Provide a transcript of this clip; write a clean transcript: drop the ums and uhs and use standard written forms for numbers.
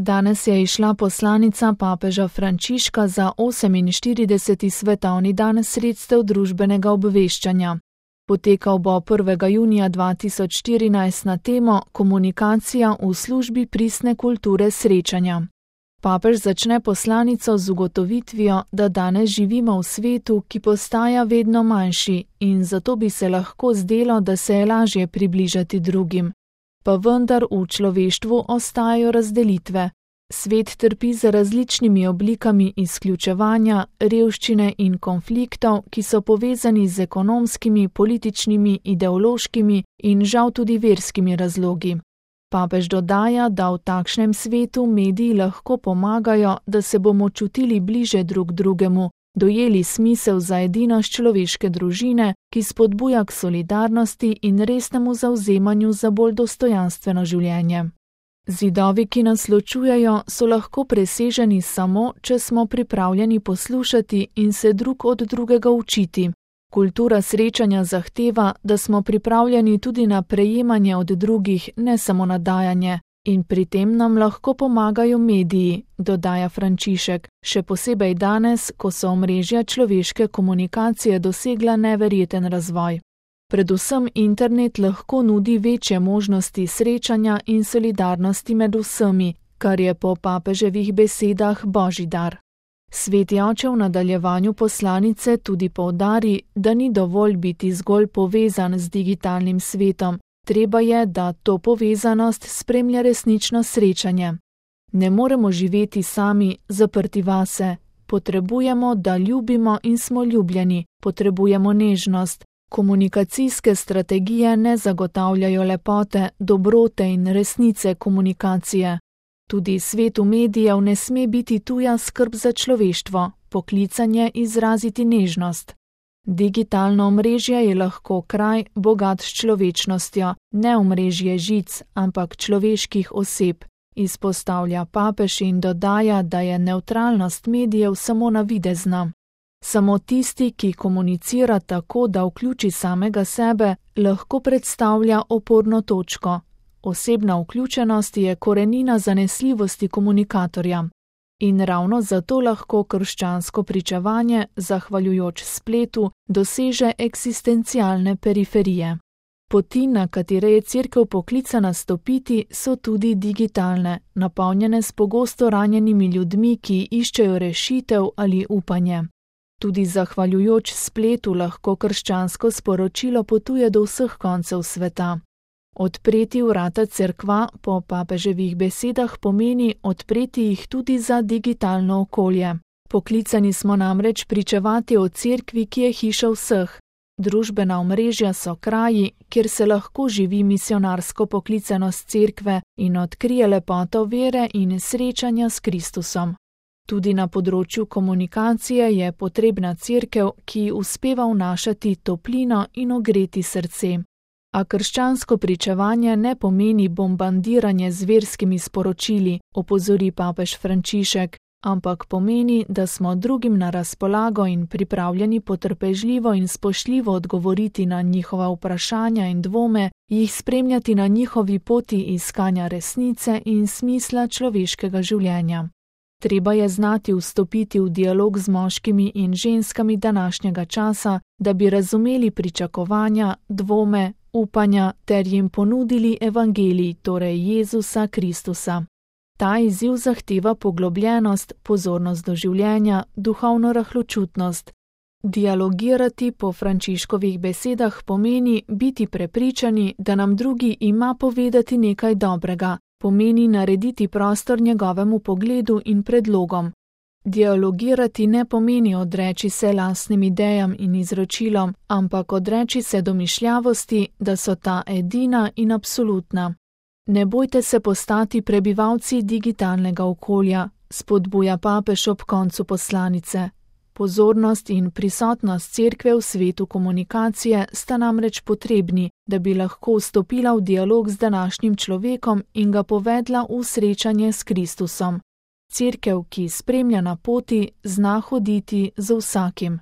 Danes je izšla poslanica papeža Frančiška za 48. svetovni dan sredstev družbenega obveščanja. Potekal bo 1. junija 2014 na temo Komunikacija v službi pristne kulture srečanja. Papež začne poslanico z ugotovitvijo, da danes živimo v svetu, ki postaja vedno manjši in zato bi se lahko zdelo, da se je lažje približati drugim. Pa vendar v človeštvu ostajajo razdelitve. Svet trpi za različnimi oblikami izključevanja, revščine in konfliktov, ki so povezani z ekonomskimi, političnimi, ideološkimi in žal tudi verskimi razlogi. Papež dodaja, da v takšnem svetu mediji lahko pomagajo, da se bomo čutili bliže drug drugemu, dojeli smisel za edinost človeške družine, ki spodbuja k solidarnosti in resnemu zavzemanju za bolj dostojanstveno življenje. Zidovi, ki nas ločujejo, so lahko preseženi samo, če smo pripravljeni poslušati in se drug od drugega učiti. Kultura srečanja zahteva, da smo pripravljeni tudi na prejemanje od drugih, ne samo na dajanje. In pri tem nam lahko pomagajo mediji, dodaja Frančišek, še posebej danes, ko so omrežja človeške komunikacije dosegla neverjeten razvoj. Predvsem internet lahko nudi večje možnosti srečanja in solidarnosti med vsemi, kar je po papeževih besedah božji dar. Sveti oče v nadaljevanju poslanice tudi poudari, da ni dovolj biti zgolj povezan z digitalnim svetom, treba je, da to povezanost spremlja resnično srečanje. Ne moremo živeti sami, zaprti vase. Potrebujemo, da ljubimo in smo ljubljeni, potrebujemo nežnost. Komunikacijske strategije ne zagotavljajo lepote, dobrote in resnice komunikacije. Tudi svetu medijev ne sme biti tuja skrb za človeštvo, poklicanje izraziti nežnost. Digitalno omrežje je lahko kraj, bogat s človečnostjo, ne omrežje žic, ampak človeških oseb, izpostavlja papež in dodaja, da je nevtralnost medijev samo navidezna. Samo tisti, ki komunicira tako, da vključi samega sebe, lahko predstavlja oporno točko. Osebna vključenost je korenina zanesljivosti komunikatorja. In ravno zato lahko krščansko pričevanje, zahvaljujoč spletu, doseže eksistencialne periferije. Poti, na katere je Cerkev poklicana stopiti, so tudi digitalne, napolnjene s pogosto ranjenimi ljudmi, ki iščejo rešitev ali upanje. Tudi zahvaljujoč spletu lahko krščansko sporočilo potuje do vseh koncev sveta. Odpreti vrata cerkva po papeževih besedah pomeni odpreti jih tudi za digitalno okolje. Poklicani smo namreč pričevati o cerkvi, ki je hiša vseh. Družbena omrežja so kraji, kjer se lahko živi misionarsko poklicanost cerkve in odkrije lepoto vere in srečanja s Kristusom. Tudi na področju komunikacije je potrebna cerkev, ki uspeva vnašati toplino in ogreti srce. A krščansko pričevanje ne pomeni bombardiranje z verskimi sporočili, opozori papež Frančišek, ampak pomeni, da smo drugim na razpolago in pripravljeni potrpežljivo in spoštljivo odgovoriti na njihova vprašanja in dvome, jih spremljati na njihovi poti iskanja resnice in smisla človeškega življenja. Treba je znati vstopiti v dialog z moškimi in ženskami današnjega časa, da bi razumeli pričakovanja, dvome, upanja ter jim ponudili evangelij, torej Jezusa Kristusa. Ta izziv zahteva poglobljenost, pozornost do življenja, duhovno rahločutnost. Dialogirati po Frančiškovih besedah pomeni biti prepričani, da nam drugi ima povedati nekaj dobrega, pomeni narediti prostor njegovemu pogledu in predlogom. Dialogirati ne pomeni odreči se lastnim idejam in izročilom, ampak odreči se domišljavosti, da so ta edina in absolutna. Ne bojte se postati prebivalci digitalnega okolja, spodbuja papež ob koncu poslanice. Pozornost in prisotnost cerkve v svetu komunikacije sta namreč potrebni, da bi lahko vstopila v dialog z današnjim človekom in ga povedla v srečanje s Kristusom. Cerkev, ki spremlja na poti, zna hoditi z vsakim.